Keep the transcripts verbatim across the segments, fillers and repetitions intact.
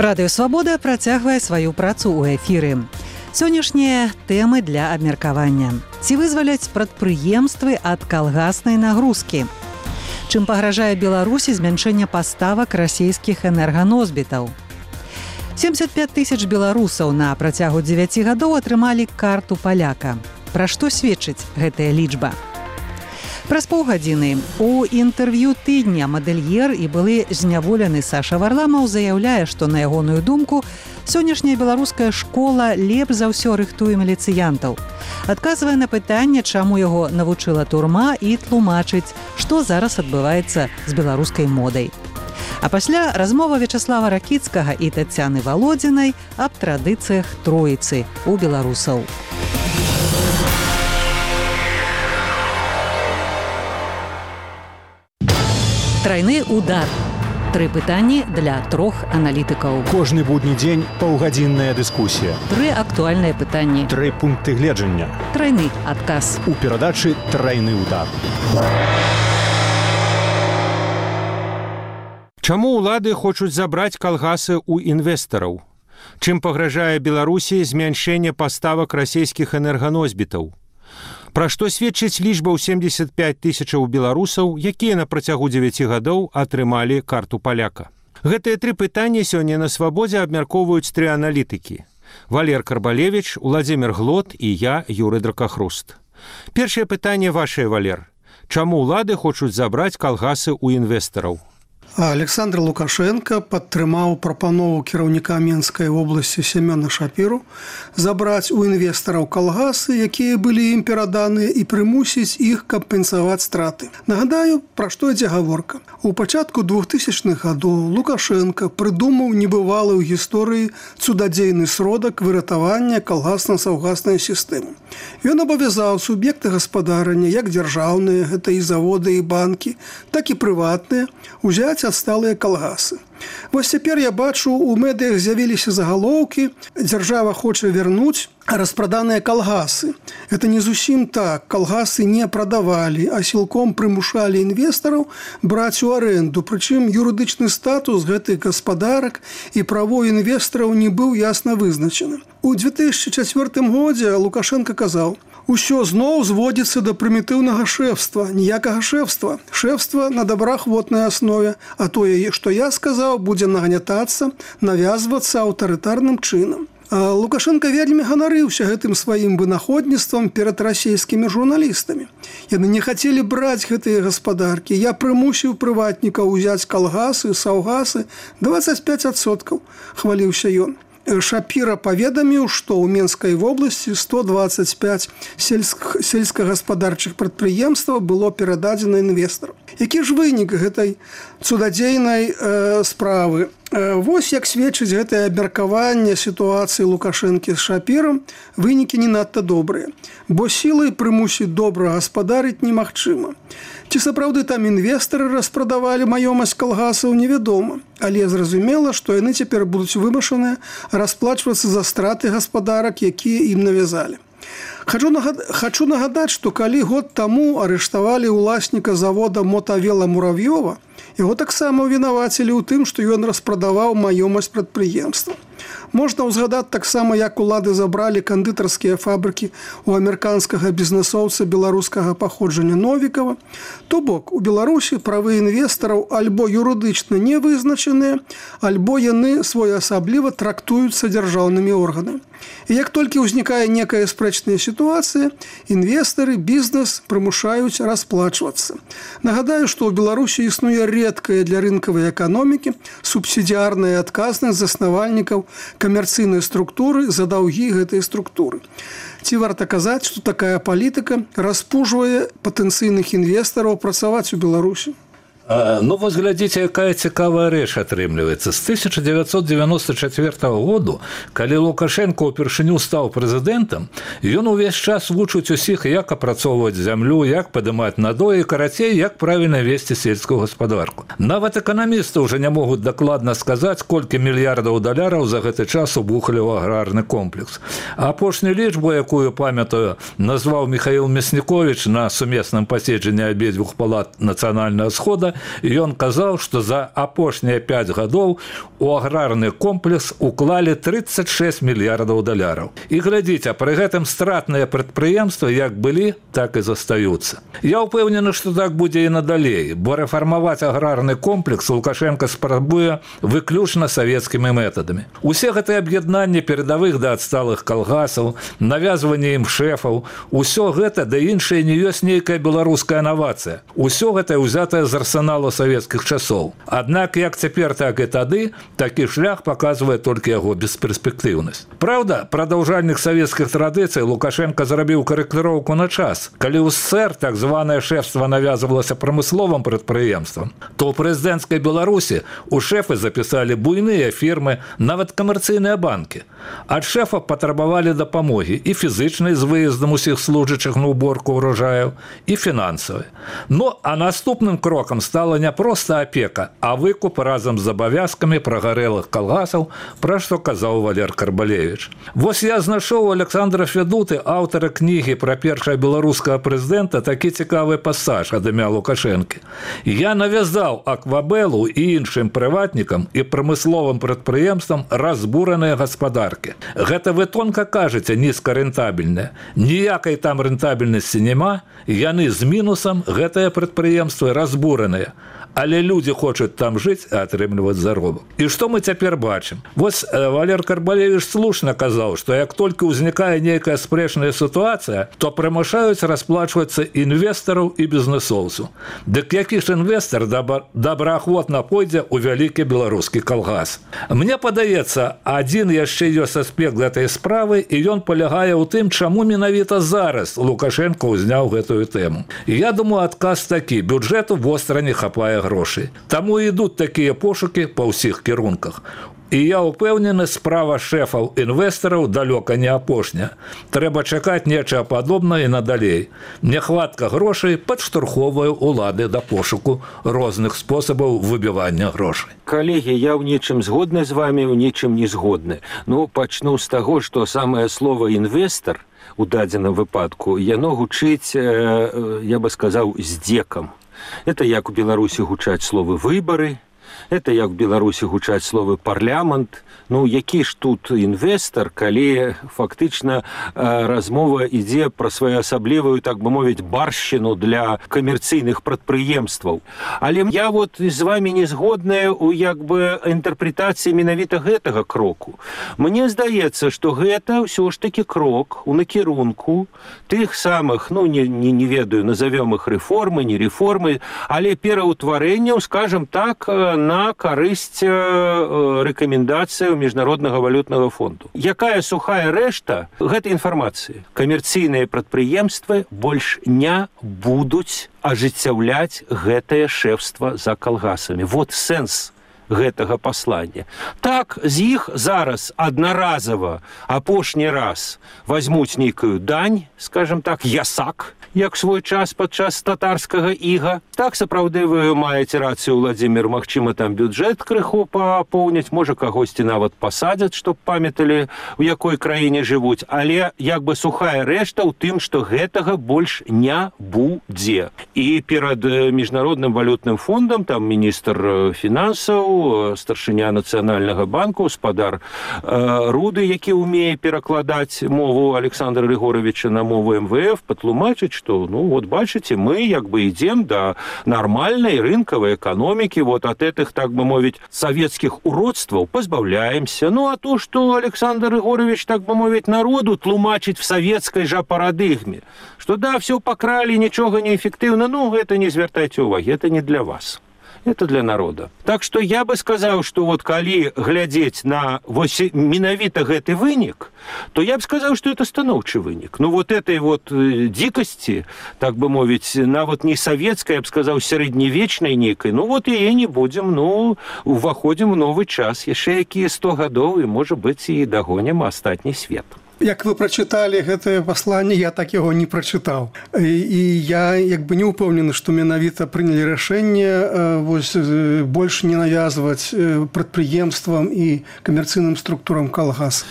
Радыё Свабода працягвае сваю працу ў эфіры. Сённяшнія тэмы для абмеркавання. Ці вызваляць прадпрыемствы ад калгаснай нагрузкі? Чым пагражае Беларусі змяншэнне паставак расійскіх энерганосьбітаў? семьдесят пять тысяч беларусаў на працягу дзевяці гадоў атрымалі карту паляка. Пра што сведчыць гэтая лічба? Праз паўгадзіны у інтэрв'ю тыдня мадэльер і былы зняволены Саша Варламаў заяўляе, што на ягоную думку сённяшняя беларуская школа лепш за ўсё рыхтуе міліцыянтаў. Адказвае на пытанне, чаму яго навучыла турма, і тлумачыць, што зараз адбываецца з беларускай модай. А пасля размова Вячаслава Ракіцкага і Тацяны Валодзінай аб традыцыях троіцы у беларусаў. Трайны удар. Тры пытанні для трох аналітыкаў. Кожны будні дзень паўгадзінная дыскусія. Тры актуальныя пытанні. Тры пункты гледжання. Трайны адказ. У перадачы «Трайны удар». Чаму ўлады хочуць забраць калгасы ў інвестараў? Чым пагражае Беларусі змяншэнне паставак расійскіх энерганосьбітаў? Пра што сведчыць лічба ў семьдесят пять тысячаў беларусаў, якія на працягу дзевяці гадоў атрымалі карту паляка? Гэтыя тры пытанні сёння на Свабодзе абмяркоўваюць тры аналітыкі. Валер Карбалевіч, Уладзімір Глот і я, Юрый Дракахруст. Першае пытанне вашае, Валер. Чаму ўлады хочуць забраць калгасы ў інвестараў? Александр Лукашенко падтрымаў прапанову кіраўніка Менскай вобласці Семёна Шапіру забраць у інвестараў калгасы, якія былі ім пераданыя, і прымусіць іх кампенсаваць страты. Нагадаю, пра што ідзе гаворка. У пачатку двухтысячных гадоў Лукашенко прыдумаў небывалы ў гісторыі цудадзейны сродак выратавання калгасна-саўгаснай сістэмы. Ён абавязаў суб'екты гаспадарання, як дзяржаўныя, гэта і заводы, і банкі, так і прыватныя, узяць адсталыя калгасы. Вось цяпер я бачу, у медыях з'явіліся загалоўкі, дзяржава хоча вярнуць распраданыя калгасы. Это не зусім так. Калгасы не прадавалі, а сілком прымушалі інвестараў браць у арэнду. Прычым юрыдычны статус гэтых гаспадарак і право інвестараў не быў ясна вызначаны. У две тысячи чацвёртым годзе Лукашенко казаў: «Усё зноў зводзіцца да прымітыўнага шэфства, ніякага шэфства. Шэфства на добраахвотнай аснове, а тое, што я сказаў, будзе нагнятацца, навязвацца аўтарытарным чынам». А Лукашенко вельмі ганарыўся гэтым сваім вынаходніцтвам перад расійскімі журналістамі. Яны не хацелі браць гэтыя гаспадаркі. Я прымусіў прыватнікаў узяць калгасы, саўгасы, двадцать пять адсоткаў, хваліўся ён. Шапіра паведаміў, што ў Менскай вобласці сто двадцать пять сельск... сельскагаспадарчых прадпрыемстваў было перададзена інвестару. Які ж вынік гэтай цудадзейнай э, справы? Э, вось як сведчыць гэтае абмеркаванне сітуацыі Лукашэнкі з Шапірам, вынікі не надта добрыя, бо сілай прымусіць добра гаспадарыць немагчыма. Ці сапраўды там інвестары распрадавалі маёмасць калгасаў, невядома, але зразумела, што яны цяпер будуць вымушаныя расплачвацца за страты гаспадарак, якія ім навязалі. Хачу, нагад... Хачу нагадаць, што калі год таму арыштавалі ўласніка завода «Мотавела» Муравьёва, яго таксама вінавацілі ў тым, што ён распрадаваў маёмасць прадпрыемства. Можна ўзгадаць таксама, як улады забралі кандытарскія фабрыкі у амерыканскага бізнесоўца беларускага паходжання Новікава. То бок, у Беларусі правы інвестараў альбо юрыдычна не вызначаныя, альбо яны своеасабліва трактуюцца дзяржаўнымі органамі. І як толькі ўзнікае некая спрэчная сітуацыя, інвестары, бізнес прымушаюць расплачвацца. Нагадаю, што ў Беларусі існуе рэдкая для рынкавай эканомікі субсідыярная адказнасць заснавальнікаў камерцыйнай структуры за даўгі гэтай структуры. Ці варта казаць, што такая палітыка распужвае патэнцыйных інвестараў працаваць у Беларусі? Ну, вось глядзіце, якая цікавая рэч атрымліваецца. З тысяча дзевяцьсот девяносто четвёртого году, калі Лукашенко ўпершыню стаў прэзідэнтам, ён увесь час вучыць усіх, як апрацоўваць зямлю, як падымаць надоі, карацей, як правільна весці сельскую гаспадарку. Нават эканамісты ўжо не могуць дакладна сказаць, колькі мільярдаў даляраў за гэты час убухалі ў аграрны комплекс. А апошнюю лічбу, якую памятаю, назваў Михаил Мяснікович на сумесным паседжанні абедзвюх палат Нацыянальнага схода, ён казаў, што за апошнія пяць гадоў у аграрны комплекс уклалі тридцать шесть мільярдаў даляраў. І глядзіце, пры гэтым стратныя прадпрыемствы як былі, так і застаюцца. Я ўпэўнены, што так будзе і надалей, бо рэфармаваць аграрны комплекс Лукашенко спрабуе выключна савецкімі метадамі. Усе гэтыя аб'яднанні перадавых да адсталых калгасаў, навязванне ім шэфаў, усё гэта да іншае не ёсць нейкая беларуская навацыя. Усё гэта ўзятае з арсеналу савецкіх часоў. Аднак як цяпер, так і тады, такі шлях паказвае толькі яго бесперспектыўнасць. Праўда, прадаўжальнік савецкіх традыцый Лукашенко зрабіў карэктыроўку на час. Калі ў СССР так званае шэфства навязвалася прамысловым прадпрыемствам, то ў прэзідэнцкай Беларусі у шэфы запісалі буйныя фірмы, нават камерцыйныя банкі. Ад шэфа патрабавалі дапамогі і фізычнай з выездам усіх служачых на уборку ўрожаяў, і фінансавай. Ну, а наступным крокам стала не проста апека, а выкуп разам з абавязкамі прагарэлых калгасаў, пра што казаў Валер Карбалевіч. Вось я знайшоў у Александра Федуты, аўтара кнігі пра першага беларускага прэзідэнта, такі цікавы пасаж ад імя Лукашэнкі. Я навязаў Аквабелу і іншым прыватнікам і прамысловым прадпрыемствам разбураныя гаспадаркі. Гэта вы тонка кажаце, нізкарэнтабельнае. Ніякай там рэнтабельнасці няма, яны з мінусам, гэтыя прадпрыемствы разбураныя. Але людзі хочуць там жыць, а атрымліваць заробак. І што мы цяпер бачым? Вось Валер Карбалевіч слушна казаў, што як толькі ўзнікае нейкая спрэчная сітуацыя, то прымушаюць расплачвацца інвестараў і бізнэсоўцаў. Дык які ж інвестар добраахвотна пойдзе ў вялікі беларускі калгас? Мне падаецца, адзін яшчэ ёсць аспект гэтай справы, і ён палягае ў тым, чаму менавіта зараз Лукашенко ўзняў гэтую тэму. І я думаю, адказ такі: бюджэту востра не хапае грошай. Таму ідуць такія пошукі па ўсіх кірунках. І я ўпэўнены, справа шэфаў інвестараў далёка не апошня. Трэба чакаць нечага падобнае і надалей. Нехватка грошай падштурхоўвае ўлады да пошуку розных спосабаў выбівання грошай. Калегі, я ў нечым згодны з вамі, ў нечым не згодны. Ну, пачну з таго, што самае слова «інвестар» у дадзеным выпадку, яно гучыць, я бы сказаў, здзекам. Это як у Беларусі гучаць словы «выбары», это як у Беларусі гучаць словы «парламент». Ну, які ж тут інвестар, калі фактычна размова ідзе пра своеасаблівую, так бы мовіць, баршчыну для камерцыйных прадпрыемстваў. Але я вот з вамі не згодная ў як бы інтэрпрэтацыі менавіта гэтага кроку. Мне здаецца, што гэта ўсё ж такі крок у накірунку тых самых, ну, не, не, не ведаю, назовём іх рэформы, не рэформы, але пераўтварэнняў, скажем так, на карысць рэкамендацыяў Міжнароднага валютнага фонду. Якая сухая рэшта гэтай інфармацыі? Камерцыйныя прадпрыемствы больш не будуць ажыццяўляць гэтае шэфства за калгасамі. Вот сэнс гэтага паслання. Так, з іх зараз аднаразава апошні раз возьмуць нейкую дань, скажем так, ясак, як свой час падчас татарскага іга. Так, сапраўды, вы маеце рацыю, Владзімір, магчыма, там бюджэт крыху папоўняць, можа, кагосьці нават пасадзяць, чтоб памяталі, у якой краіне жывуць, але як бы сухая рэшта ў тым, што гэтага больш не будзе. І перад Міжнародным валютным фондам, там міністр фінансаў, старшыня Нацыянальнага банку, спадар Руды, які ўмее перакладаць мову Александра Григоровича на мову эм вэ эф, патлумачыць, што, ну, вот бачыце, мы як бы ідзем да нормальной рынковой экономики, вот от этих, так бы мовить, советских уродстваў позбавляемся. Ну, а то, что Александр Григорович, так бы мовить, народу тлумачить в советской же парадигме, что да, все покрали, ничего не эффективно, ну, это не звертайте уваги, это не для вас. Это для народа. Так что я бы сказал, что вот калі глядзець на вось менавіта гэты вынік, то я бы сказал, что это станоўчы вынік. Ну вот этой вот дикости, так бы мовить, нават не советской, я бы сказал, сярэднявечнай нейкай, ну вот яе не будем, ну, уваходим в новый час. Яшчэ якія сто гадоў, і, можа быць, і дагонім астатні свет. Як вы прачыталі гэтае пасланне, я так яго не прачытаў. І, і я як бы не ўпэўнены, што менавіта прынялі рашэнне вось, больш не навязваць прадпрыемствам і камерцыйным структурам калгас.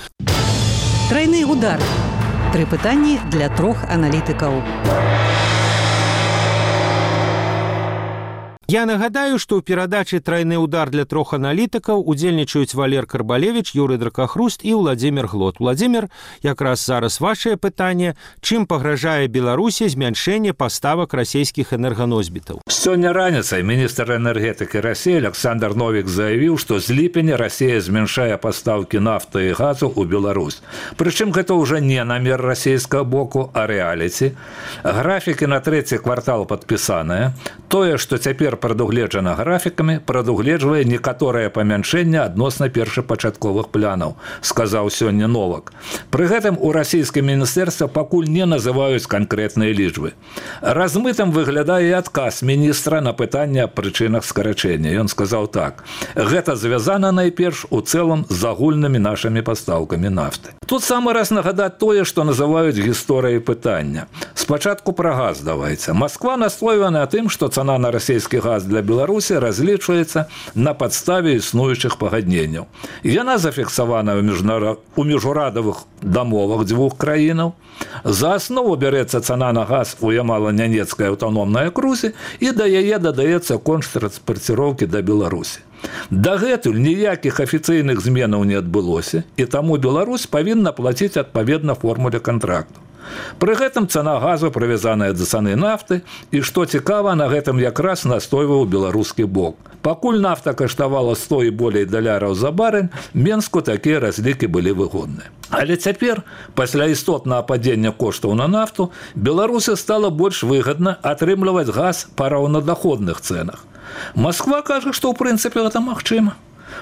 Трайны удар. Тры пытанні для трох аналітыкаў. Я нагадаю, што ў перадачы «Трайны удар» для трох аналітыкаў удзельнічаюць Валер Карбалевіч, Юрый Дракахруст і Владзімір Глот. Владзімір, якраз зараз вашае пытанне, чым пагражае Беларусі змяншэнне паставак расійскіх энерганосьбітаў? Сёння раніцай міністр энергетыкі Расіі Александр Новік заявіў, што з ліпеня Расія змяншае пастаўкі нафты і газу ў Беларусь. Прычым гэта ўжо не намер расійскага боку, а рэаліці. Графікі на трэці квартал падпісаныя. Тое, што цяпер прадугледжана графікамі, прадугледжвае некаторае памяншэнне адносна першапачатковых планаў, сказаў сёння Новак. Пры гэтым у расійскім міністэрстве пакуль не называюць канкрэтныя лічбы. Размытым выглядае адказ міністра на пытанне аб прычынах скарачэння. Ён сказаў так: гэта звязана найперш у цэлым з агульнымі нашымі пастаўкамі нафты. Тут самы раз нагадаць тое, што называюць гісторыяй пытання. Спачатку пра газ давайце. Масква настойвае на тым, што цана на расійскі газ для Беларусі разлічваецца на падставе існуючых пагадненняў. Яна зафіксавана ў міжурадавых дамовах дзвюх краінаў. За аснову бярэцца цана на газ у Ямала-Нянецкай аўтаномнай акрузе і да яе дадаецца кошт транспарціроўкі да Беларусі. Дагэтуль ніякіх афіцыйных зменаў не адбылося, і таму Беларусь павінна плаціць адпаведна формуле кантракту. Пры гэтым цана газу прывязаная да цаны нафты, і, што цікава, на гэтым якраз настойваў беларускі бок. Пакуль нафта каштавала сто і болей даляраў за барэль, Менску такія разлікі былі выгодныя. Але цяпер, пасля істотнага падзення коштаў на нафту, Беларусі стала больш выгадна атрымліваць газ па раўнадаходных цэнах. Масква кажа, што ў прынцыпе гэта магчыма.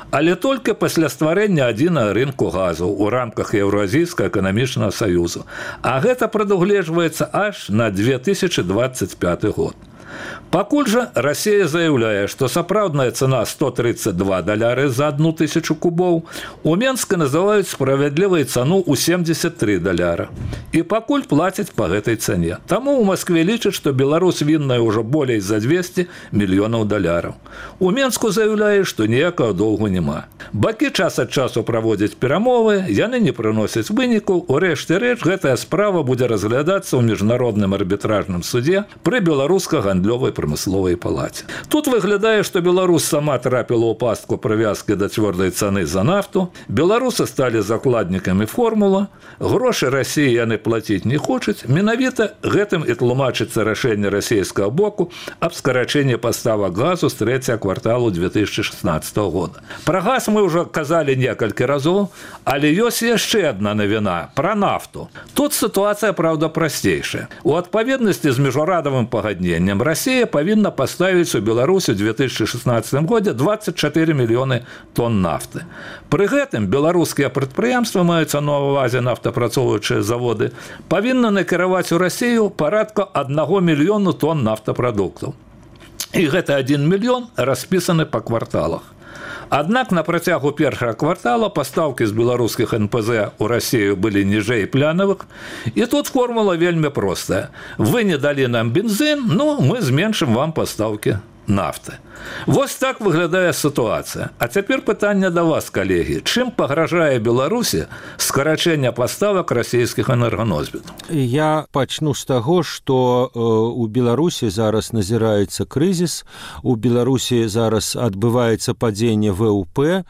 Але толькі пасля стварэння адзінага рынку газу ў рамках Еўразійскага эканамічнага саюзу. А гэта прадугледжваецца аж на две тысячы дваццаць пяты год. Пакуль жа Расія заяўляе, што сапраўдная цана сто тридцать два даляры за одну тысячу кубоў, у Менска называюць справядлівай цану ў семьдесят три даляра. І пакуль плацяць па гэтай цане. Таму ў Маскве лічаць, што Беларусь вінная ўжо болей за двести мільёнаў даляраў. У Менску заяўляе, што ніякага доўгу няма. Бакі час ад часу праводзяць перамовы, яны не прыносяць вынікаў. У рэшце рэч, гэтая справа будзе разглядацца ў міжнародным арбітражным судзе пры беларуска-гандлёвай прамысловай палаце. Тут выглядае, што Беларусь сама трапіла ў пастку прывязкі да цвёрдай цаны за нафту, беларусы сталі закладнікамі формула, грошы Расіі яны плаціць не хочуць, менавіта гэтым і тлумачыцца рашэнне расійскага боку аб скарачэнні паставак газу з трэцяга кварталу две тысячи шестнадцатого года. Пра газ мы ўжо казалі некалькі разоў, але ёсць яшчэ адна навіна пра нафту. Тут сітуацыя, праўда, прасцейшая. У адпаведнасці з міжнародным пагадненнем Расія павінна паставіць у Беларусі ў две тысячи шестнадцатым годзе двадцать четыре мільёны тонн нафты. Пры гэтым беларускія прадпрыемствы, маюцца на ўвазе нафтапрацоўваючыя заводы, павінны накіраваць у Расію парадка аднаго мільёну тонн нафтапрадуктаў. І гэты адзін мільён распісаны па кварталах. Аднак на працягу першага квартала пастаўкі з беларускіх эн пэ зэ ў Расію былі ніжэй планавых, і тут формула вельмі простая. Вы не далі нам бензин, ну, мы зменшым вам пастаўкі нафты. Вось так выглядае сітуацыя. А цяпер пытанне да вас, калегі. Чым пагражае Беларусі скарачэнне паставак расійскіх энерганосьбітаў? Я пачну з таго, што э, у Беларусі зараз назіраецца крызіс, у Беларусі зараз адбываецца падзенне вэ у пэ,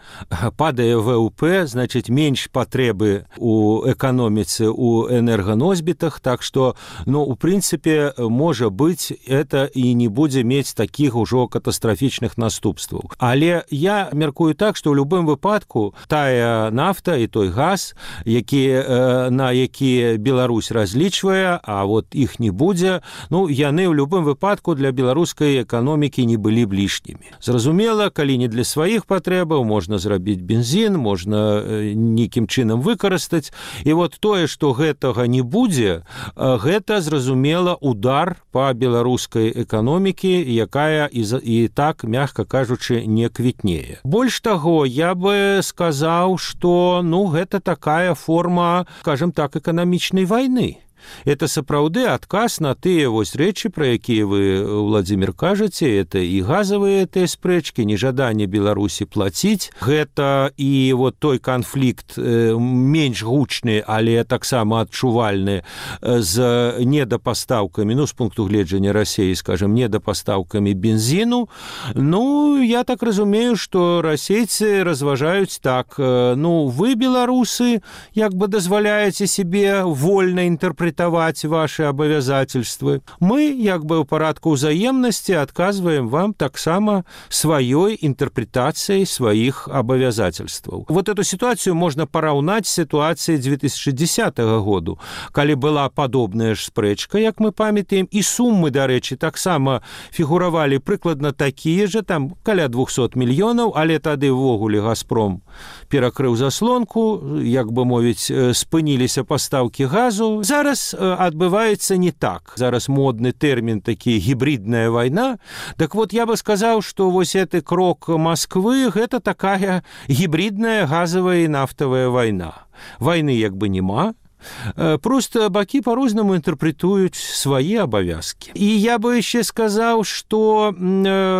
падае вэ у пэ, значыць, менш патрэбы у эканоміцы, у энерганосьбітах, так што, ну, у прынцыпе, можа быць, это і не будзе мець такіх ужо катастрафічных наступстваў. Але я мяркую так, што ў любым выпадку тая нафта і той газ, які, на які Беларусь разлічвае, а вот іх не будзе, ну, яны ў любым выпадку для беларускай эканомікі не былі б лішнімі. Зразумела, калі не для сваіх патрэбаў, можна зрабіць бензін, можна нейкім чынам выкарыстаць. І вот тое, што гэтага не будзе, гэта, зразумела, удар па беларускай эканомікі, якая і, і так, мягка кажучы, не квітнее. Больш таго, я бы сказаў, што, ну, гэта такая форма, скажем так, эканамічнай вайны. это сапраўды адказ на тыя вось рэчы, пра якія вы, Владзімір, кажаце. Это і газавыя тыя спрэчкі, нежаданне Беларусі плаціць. Гэта і вот той канфлікт менш гучны, але таксама адчувальны з недапастаўкамі, ну, з пункту гледжання Расіі, скажем, недапастаўкамі бензіну. Ну, я так разумею, што расейцы разважаюць так, ну, вы, беларусы, як бы дазваляеце себе вольна інтэрпрэтаваць ваши абавязательствы. Мы, як бы ў парадку ўзаемнасці, адказваем вам таксама сваёй інтэрпрэтацыяй сваіх абавязательстваў. Вот эту ситуацию можно параўнаць з ситуацией две тысячи десятого году, калі была падобная ж спрэчка, як мы памятаем, і суммы, дарэчы, таксама фігуравалі прыкладна такія же, там каля двухсот мільёнаў, але тады ўвогуле «Газпром» перакрыў заслонку, як бы мовіць, спыніліся пастаўкі газу. Зараз адбываецца не так. Зараз модны тэрмін такі гібридная вайна. Так вот, я бы сказаў, што вось гэты крок Москвы – гэта такая гібридная газавая і нафтавая вайна. Вайны як бы нема. Просто бакі по-рознаму інтэрпрэтуюць свае абавязкі. І я бы яшчэ сказаў, што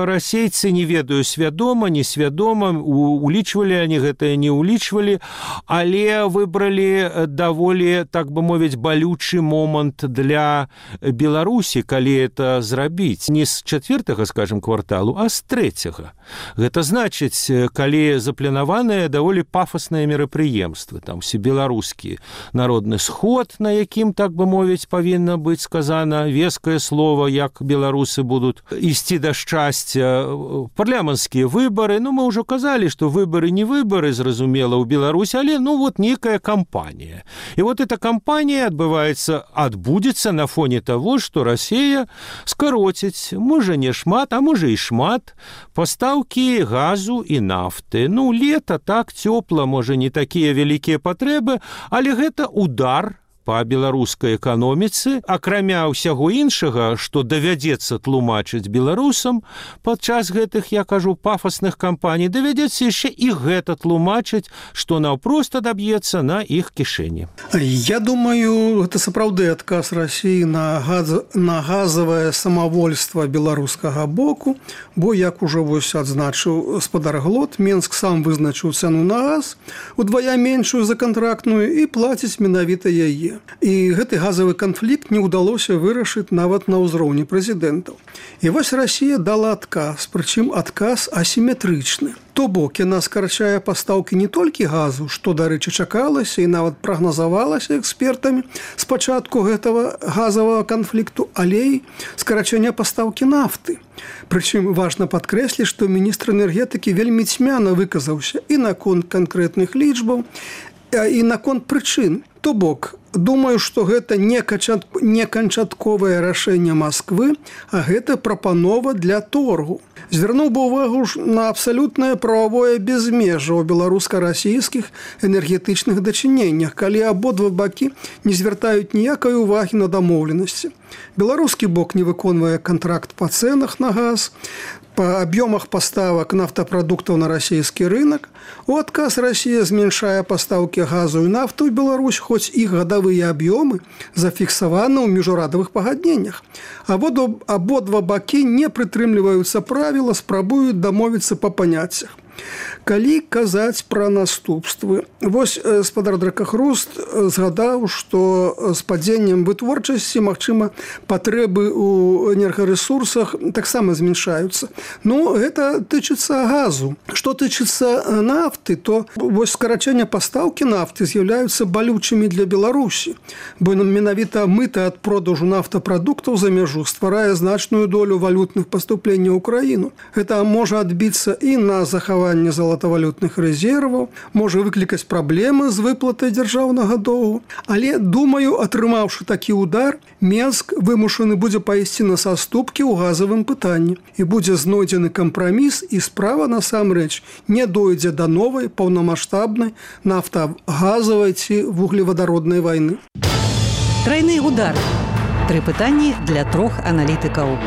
расейцы, не ведаю, свядома, несвядома, улічвалі они гэтае, не улічвалі, але выбралі даволі, так бы мовіць, балючы момант для Беларусі, калі это зрабіць. Не з чацвёртага, скажем, кварталу, а з трэцяга. Гэта значыць, калі запланаваныя даволі пафасныя мерапрыемствы, там усе беларускія народныя сход, на якім, так бы мовіць, павінна быць сказана вескае слово, як беларусы будуць ісці да шчасця. Парламенцкія выбары, ну, мы ўжо казалі, што выбары не выбары, зразумела, ў Беларусі, але, ну, вот некая кампанія. І вот эта кампанія адбываецца, адбудзецца на фоне таго, што Расія скароціць, можа, не шмат, а можа і шмат, пастаўкі газу і нафты. Ну, лета, так, цёпла, можа, не такія вялікія патрэбы, але гэта удар па беларускай эканоміцы, акрамя ўсяго іншага, што давядзецца тлумачыць беларусам падчас гэтых, я кажу, пафасных кампаній, давядзецца яшчэ і гэта тлумачыць, што наўпрост адаб'ецца на іх кішэні. Я думаю, гэта сапраўды адказ Расіі на, газ... на газавае самавольства беларускага боку, бо, як ужо вось адзначыў спадар Глот, Менск сам вызначыў цану на газ, удвая меншую за кантрактную і плаціць менавіта яе. І гэты газавы канфлікт не ўдалося вырашыць нават на ўзроўні прэзідэнтаў. І вось Расія дала адказ, прычым адказ асіметрычны. То бок, яна скарачае пастаўкі не толькі газу, што, дарэчы, чакалася і нават прагназавалася экспертамі з пачатку гэтага газавага канфлікту, але і скарачэнне пастаўкі нафты. Прычым важна падкрэсліць, што міністр энергетыкі вельмі цьмяна выказаўся і наконт канкрэтных лічбаў, і наконт прычын. То бок, думаю, што гэта не канчатковае рашэнне Москвы, а гэта прапанова для торгу. Звярнуў бы ўвагу на абсалютнае прававое безмежжа ў беларуска-расійскіх энергетычных дачыненнях, калі абодва бакі не звяртаюць ніякай увагі на дамоўленасці. Беларускі бок не выконвае кантракт па цэнах на газ, па аб'ёмах паставак нафтапрадуктаў на расійскі рынок. У адказ Расія зменшае пастаўкі газу і нафту ў Беларусь, хоць іх гадавыя аб'ёмы зафіксаваны ў міжурадавых пагадненнях. Абодва, абодва бакі не прытрымліваюцца правіла, спрабуюць дамовіцца па паняццях. Калі казаць пра наступствы, вось спадар Дракахруст згадаў, што з падзеннем вытворчасці, магчыма, патрэбы ў энергарэсурсах таксама зменшаюцца. Ну, гэта тычыцца газу. Што тычыцца нафты, то вось скарачэнне пастаўкі нафты з'яўляюцца балючымі для Беларусі, бо менавіта мыта ад продажу нафтапрадуктаў за мяжу стварае значную долю валютных паступленняў ў краіну. Гэта можа адбіцца і на захаванне залатавалютных рэзерваў, можа выклікаць праблемы з выплатай дзяржаўнага доўгу. Але, думаю, атрымаўшы такі удар, Менск вымушаны будзе пайсці на саступкі ў газавым пытанні. І будзе знойдзены кампраміс, і справа, насамрэч, не дойдзе да новай паўнамаштабнай нафтагазавай ці вуглевадароднай вайны. Трайны удар. Тры пытанні для трох аналітыкаў.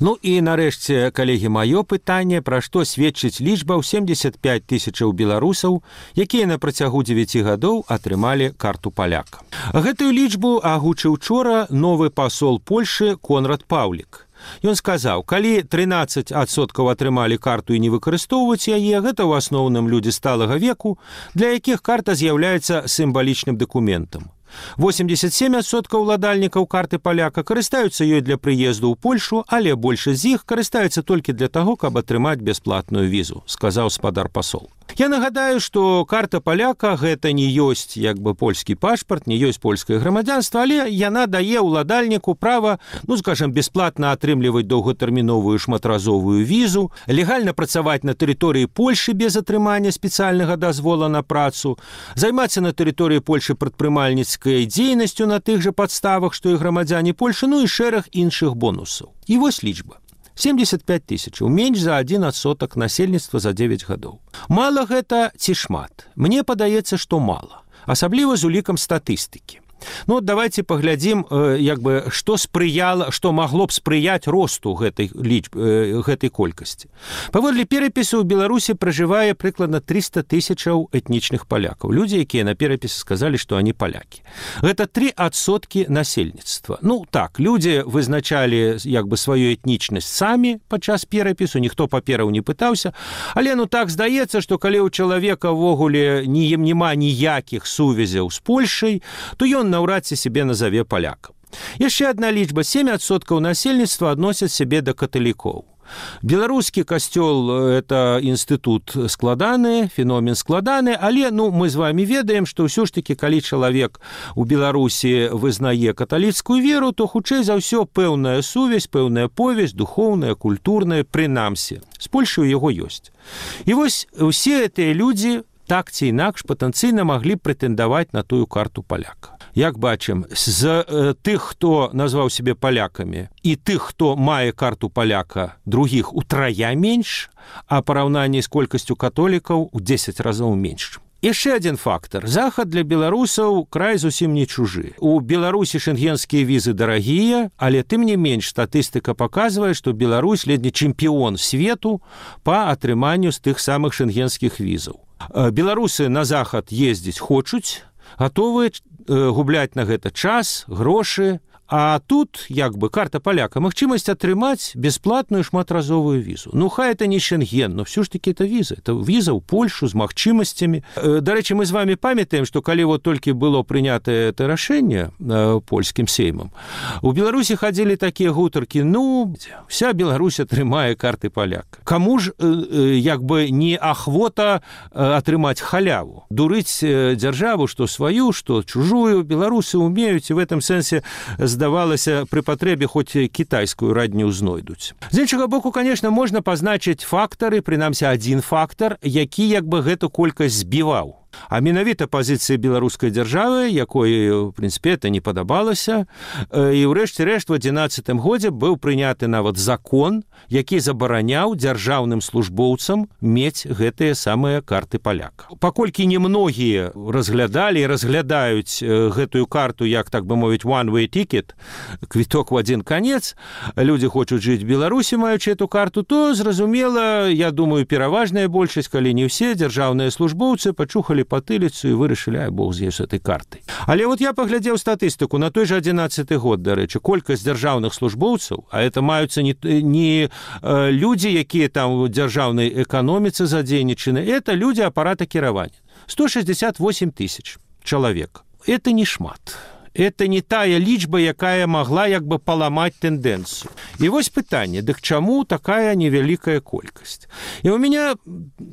Ну і нарэшце, калегі, маё пытанне, пра што сведчыць лічба ў семдзесят пяць тысячаў беларусаў, якія на працягу дзевяці гадоў атрымалі карту паляка. Гэтую лічбу агучыў учора новы пасол Польшы Конрад Паўлік. Ён сказаў, калі трынаццаць адсоткаў атрымалі карту і не выкарыстоўваць яе, гэта ў асноўным людзі сталага веку, для якіх карта з'яўляецца сімвалічным дакументам. восемьдесят семь адсоткаў уладальнікаў карты паляка карыстаюцца ёй для прыезду ў Польшу, але большасць з іх карыстаюцца толькі для таго, каб атрымаць бясплатную візу, сказаў спадар пасол. Я нагадаю, што карта паляка гэта не ёсць як бы польскі пашпарт, не ёсць польскае грамадзянства, але яна дае ўладальніку права, ну, скажем, бясплатна атрымліваць доўгатэрміновую шматразовую візу, легальна працаваць на тэрыторыі Польшы без атрымання спецыяльнага дазвола на працу, займацца на тэрыторыі Польшы прадпрымальніцкай дзейнасцю на тых жа падставах, што і грамадзяне Польшы, ну і шэраг іншых бонусаў. І вось лічба. семьдесят пять тысяч, менш за адзін адсотак насельніцтва за дзевяць гадоў. Мала гэта ці шмат? Мне падаецца, што мала, асабліва з улікам статыстыкі. Ну, давайте паглядзім, як бы, што спрыяла, што магло б спрыяць росту гэтай лічбы, гэтай колькасці. Паводле перапісу ў Беларусі пражывае прыкладна триста тысячаў этнічных палякаў. Людзі, якія на перапісе сказалі, што они палякі. Гэта тры адсоткі насельніцтва. Ну, так, людзі вызначалі, як бы, сваю этнічнасць самі падчас перапісу, ніхто папераў не пытаўся, але, ну, так здаецца, што калі ў чалавека ўвогуле ні няма ніякіх сувязяў з Польшай, то ён наўрад ці сябе назаве палякам. Яшчэ адна лічба, сем адсоткаў насельніцтва адносяць сябе да каталікоў. Беларускі касцёл – это інстытут складаны, феномен складаны, але, ну, мы з вами ведаем, што ўсё ж такі, калі чалавек у Беларусі вызнае каталіцкую веру, то хутчэй за ўсё пэўная сувязь, пэўная повязь, духоўная, культурная, прынамсі. З Польшай у яго ёсць. І вось усе гэтыя людзі так ці інакш патэнцыйна маглі прэтэндаваць на тую карту паляка. Як бачым, з э, тых, хто назваў сябе палякамі, і тых, хто мае карту паляка, другіх утрая менш, а параўнанні з колькасцю католікаў у дзесяць разоў менш. Яшчэ адзін фактар. Захад для беларусаў край зусім не чужы. У Беларусі шэнгенскія візы дарагія, але тым не менш статыстыка паказвае, што Беларусь ледзьве чэмпіён свету па атрыманню з тых самых шэнгенскіх візаў. Беларусы на захад ездзіць хочуць, гатовыя губляць на гэта час, грошы, а тут, як бы, карта паляка, магчымасць атрымаць бясплатную шматразовую візу. Ну, хай это не Шенген, но все ж таки это віза. Это віза ў Польшу з магчымасцямі. Дарэчы, мы з вами памятаем, што калі вот толькі было прынятае это рашэнне польскім сеймам, у Беларусі хадзілі такія гутаркі, ну, вся Беларусь атрымае карты паляка. Каму ж, як бы, не ахвота атрымаць халяву? Дурыць дзяржаву, што сваю, што чужую, беларусы умеюць, і в этом сэнсе здавалася, пры патрэбе хоць кітайскую радню знойдуць. З іншага боку, конечно, можна пазначыць фактары, прынамсі адзін фактар, які як бы гэту колькасць збіваў. А менавіта пазіцыя беларускай дзяржавы, якой, в прынцыпе, это не падабалася, і ўрэшце рэшт у адзінаццатым годзе быў прыняты нават закон, які забараняў дзяржаўным службоўцам мець гэтыя самыя карты паляка. Паколькі немногія разглядалі і разглядаюць гэтую карту, як, так бы мовіць, one-way ticket, квіток у адзін канец, людзі хочуць жыць в Беларусі, маючы эту карту, то, зразумела, я думаю, пераважная большасць, калі не ўсе дзяржаўныя службоўцы пачухалі патыліцу і вырашылі, ай, бог з ёй з этой картай. Але вот я паглядзеў статыстыку на той жа адзінаццаты год, дарэчы, колькасць дзяржаўных службоўцаў, а это маюцца не, не э, людзі, якія там у дзяржаўнай эканоміцы задзейнічаны, это людзі апарата кіравання. сто шестьдесят восемь тысяч чалавек. Это не шмат. Это не тая лічба, якая магла як бы паламаць тэндэнцыю. І вось пытанне, дык чаму такая невялікая колькасць? І у меня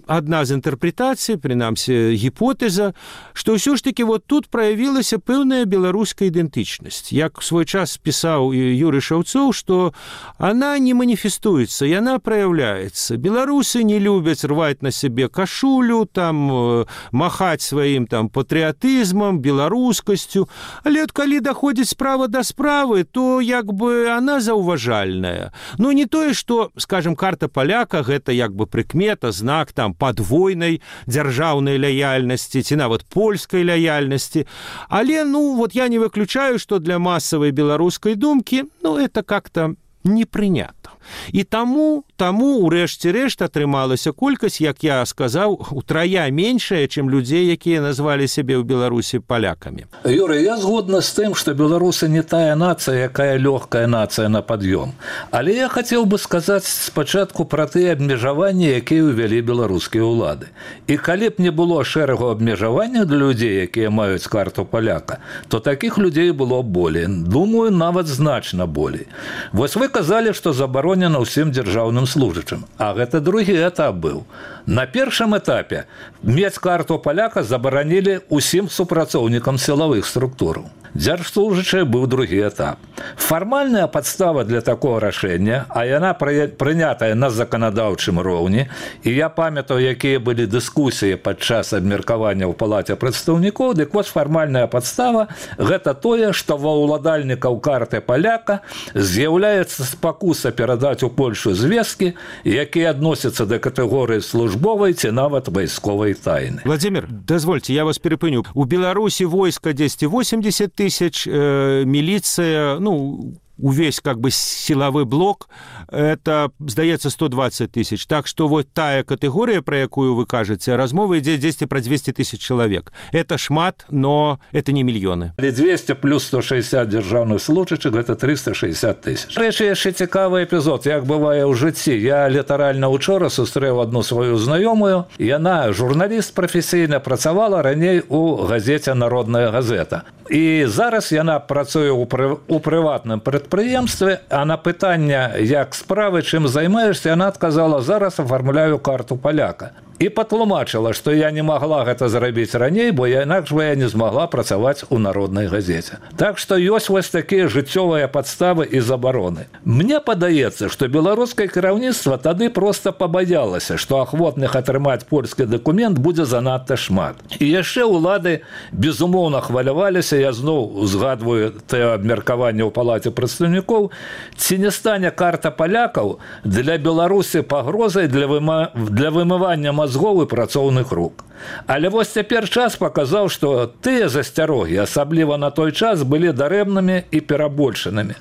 адна з інтэрпрэтацый, прынамсі гіпотэза, што ўсё ж таки вот тут праявілася пэўная беларуская ідэнтычнасць. Як в свой час пісаў Юрый Шаўцоў, што она не маніфестуецца, яна праяўляецца. Беларусы не любяць рваць на сябе кашулю, там махаць сваім там патрыятызмам, беларускасцю, але калі даходзіць справа да справы, то як бы она заўважальная. Ну, не тое, што, скажем, карта паляка, гэта як бы прыкмета, знак там падвойнай дзяржаўнай лаяльнасці ці нават польскай лаяльнасці. Але, ну, вот я не выключаю, што для масавай беларускай думкі, ну, это как-то не прынята. І таму, таму у рэшце рэшт атрымалася колькасць, як я сказаў, утрая меншая, чым людзей, якія назвалі сябе ў Беларусі палякамі. Юрий, я згодна з тым, што беларусы не тая нацыя, якая лёгкая нацыя на пад'ём. Але я хацеў бы сказаць спачатку пра тыя абмежаванні, якія ўвялі беларускія ўлады. І калі б не было шэрагу абмежаванняў для людзей, якія маюць карту паляка, то такіх людзей было болей. Думаю, нават значна болей. Вось вы казалі, што забаронена ўсім дзяржаўным служачым. А гэта другі этап быў. На першым этапе мець карту паляка забаранілі ўсім супрацоўнікам сілавых структураў. Дзяржслужачы быў другі этап. Фармальная падстава для такого рашэння, а яна прынятая на заканадаўчым роўні, і я памятаю, якія былі дыскусіі падчас абмеркавання ў палаце прадстаўнікоў, дык вось фармальная падстава – гэта тое, што ва ўладальнікаў карты паляка з'яўляецца спакуса перадаць у Польшу звесткі, якія адносяцца да катэгорыі службовай ці нават вайсковай тайны. Владимир, дазвольце, я вас перапыню. У Беларусі войска дзесьці восемьдесят тысяч, э, милиция, ну, увесь как бы силовой блок, это, здаецца, сто двадцать тысяч. Так что вот тая категория, про якую вы кажете, размова ідзе дзесьці про двести тысяч человек. Это шмат, но это не мільёны. двести плюс сто шестьдесят дзяржаўных служачых, это триста шестьдесят тысяч. Рэчы, яшчэ цікавы эпізод, як бывае ў жыцці. Я літаральна учора сустрэў одну сваю знаёмую. Яна журналіст прафесійна, працавала раней у газеце «Народная газета». І зараз яна працуе ў, пры... у прыватным прадпрыемстве, а на пытанне, як справы, чым займаешься, яна адказала: зараз аформляю карту паляка. І патлумачыла, што я не магла гэта зрабіць раней, бо я інакш бы я не змагла працаваць у народнай газеце. Так што ёсць вось такія жыццёвыя падставы і забароны. Мне падаецца, што беларускае кіраўніцтва тады проста пабаялася, што ахвотных атрымаць польскі дакумент будзе занадта шмат. І яшчэ ўлады безумоўна хваляваліся, я зноў узгадваю тое абмеркаванне ў палаце прадстаўнікоў, ці не стане карта палякаў для Беларусі пагрозай для, выма... для вымывання мазгоў і працоўных рук. Але вось цяпер час паказаў, што тыя засцярогі, асабліва на той час, былі дарэмнымі і перабольшанымі.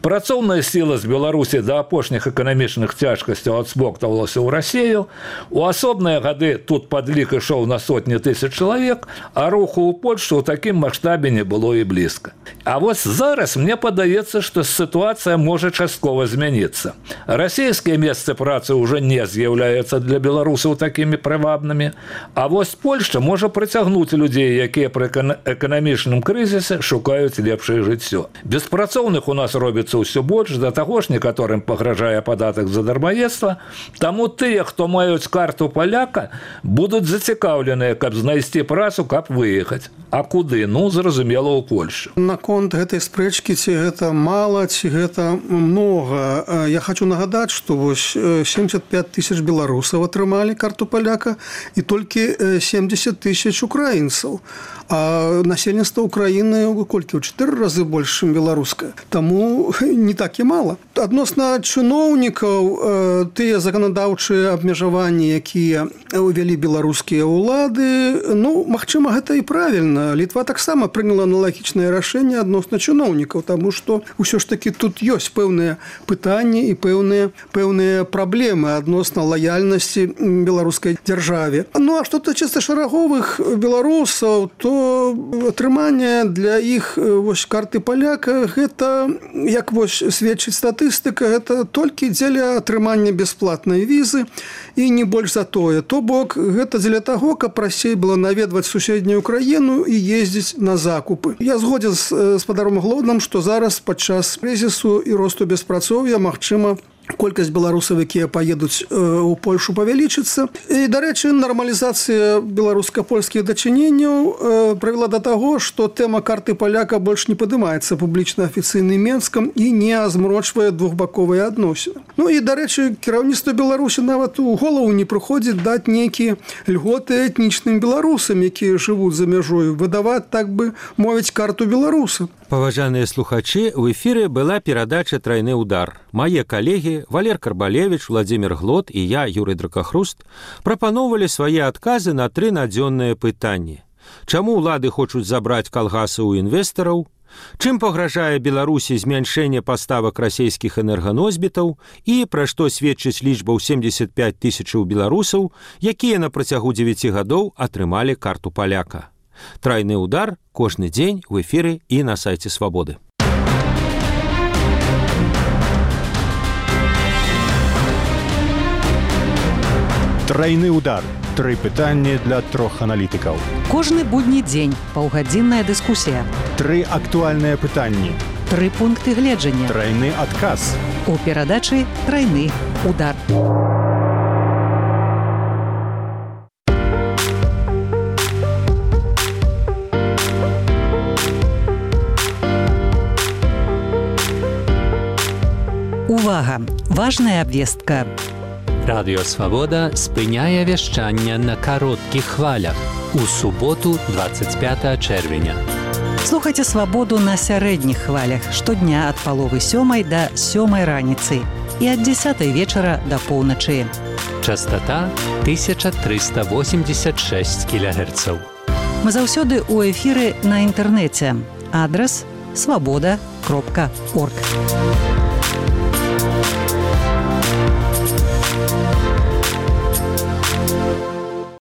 Працоўная сіла з Беларусі да апошніх эканамічных цяжкасцяў адсмоктавалася ў Расію. У асобныя гады тут падлік ішоў на сотні тысяч чалавек, а руху ў Польшу ў такім маштабе не было і блізка. А вось зараз мне падаецца, што сітуацыя можа часткова змяніцца. Расійскія месцы працы ўжо не з'яўляюцца для беларусаў такімі прывабнымі, а вось Вось Польшча можа прыцягнуць людзей, якія пры эканамічным крызісе шукаюць лепшае жыццё. Беспрацоўных у нас робіцца ўсё больш, да таго ж некаторым пагражае падатак за дармаедства, таму тыя, хто маюць карту паляка, будуць зацікаўленыя, каб знайсці працу, каб выехаць. А куды? Ну, зразумела, ў Польшу. Наконт гэтай спрэчкі, ці гэта мала, ці гэта многа, я хочу нагадаць, што вось семьдесят пять тысяч беларусаў атрымалі карту паляка і толькі семьдесят тысяч украінцаў. А насельніцтва Украіны колькі? У чатыры разы больш, чым беларускае. Таму не так і мала. Адносна чыноўнікаў, тыя заканадаўчыя абмежаванні, якія ўвялі беларускія ўлады, ну, магчыма, гэта і правільна. Літва таксама прыняла аналагічнае рашэнне адносна чыноўнікаў, таму што ўсё ж такі тут ёсць пэўныя пытанні і пэўныя, пэўныя праблемы адносна лаяльнасці беларускай дзяржаве. Ну, а што тычыцца шараговых беларусаў, то атрыманне для іх вось карты паляка, гэта, як вось сведчыць статыстыка, гэта толькі дзеля атрымання бясплатнай візы і не больш за тое. То бок, гэта дзеля таго, каб прасцей было наведваць суседнюю краіну і ездзіць на закупы. Я згодзін з спадаром Глодным, што зараз падчас крызісу і росту беспрацоўя, магчыма, колькасць беларусаў, якія паедуць у Польшу, павялічыцца. І, дарэчы, нармалізацыя беларуска-польскіх дачыненняў прывяла да таго, што тэма карты паляка больш не падымаецца публічна афіцыйным Менскам і не змрочвае двухбаковыя адносіны. Ну і, дарэчы, кіраўніцтва Беларусі нават у голову не прыходзіць даць нейкія льготы этнічным беларусам, якія жывуць за мяжою, выдаваць, так бы мовіць, карту беларуса. Паважаныя слухачы, у эфіры была перадача «Трайны удар». Мае калегі Валер Карбалевич, Владимир Глод і я, Юрый Дракахруст, прапаноўвалі свае адказы на тры надзённыя пытанні. Чаму ўлады хочуць забраць калгасы ў інвестараў? Чым пагражае Беларусі змяншэнне паставак расійскіх энерганосьбітаў і пра што сведчыць лічба ў семдзесят пяць тысячаў беларусаў, якія на працягу дзевяці гадоў атрымалі карту паляка. Трайны удар кожны дзень у эфіры і на сайце Свабоды. Трайны удар. Тры пытанні для трох аналітыкаў. Кожны будні дзень паўгадзінная дыскусія. Тры актуальныя пытанні. Тры пункты гледжання. Трайны адказ. У перадачы «Трайны удар». Увага! Важная абвестка. Радыё Свабода спыняе вяшчанне на кароткіх хвалях у суботу двадцать пятого чэрвеня. Слухайце Свабоду на сярэдніх хвалях штодня ад паловы сёмай да сёмай раніцы і ад дзесятай вечара да поўначы. Частота тысяча триста восемьдесят шесть кілогерцаў. Мы заўсёды ў эфіры на інтэрнэце. Адрас свабода кропка орг.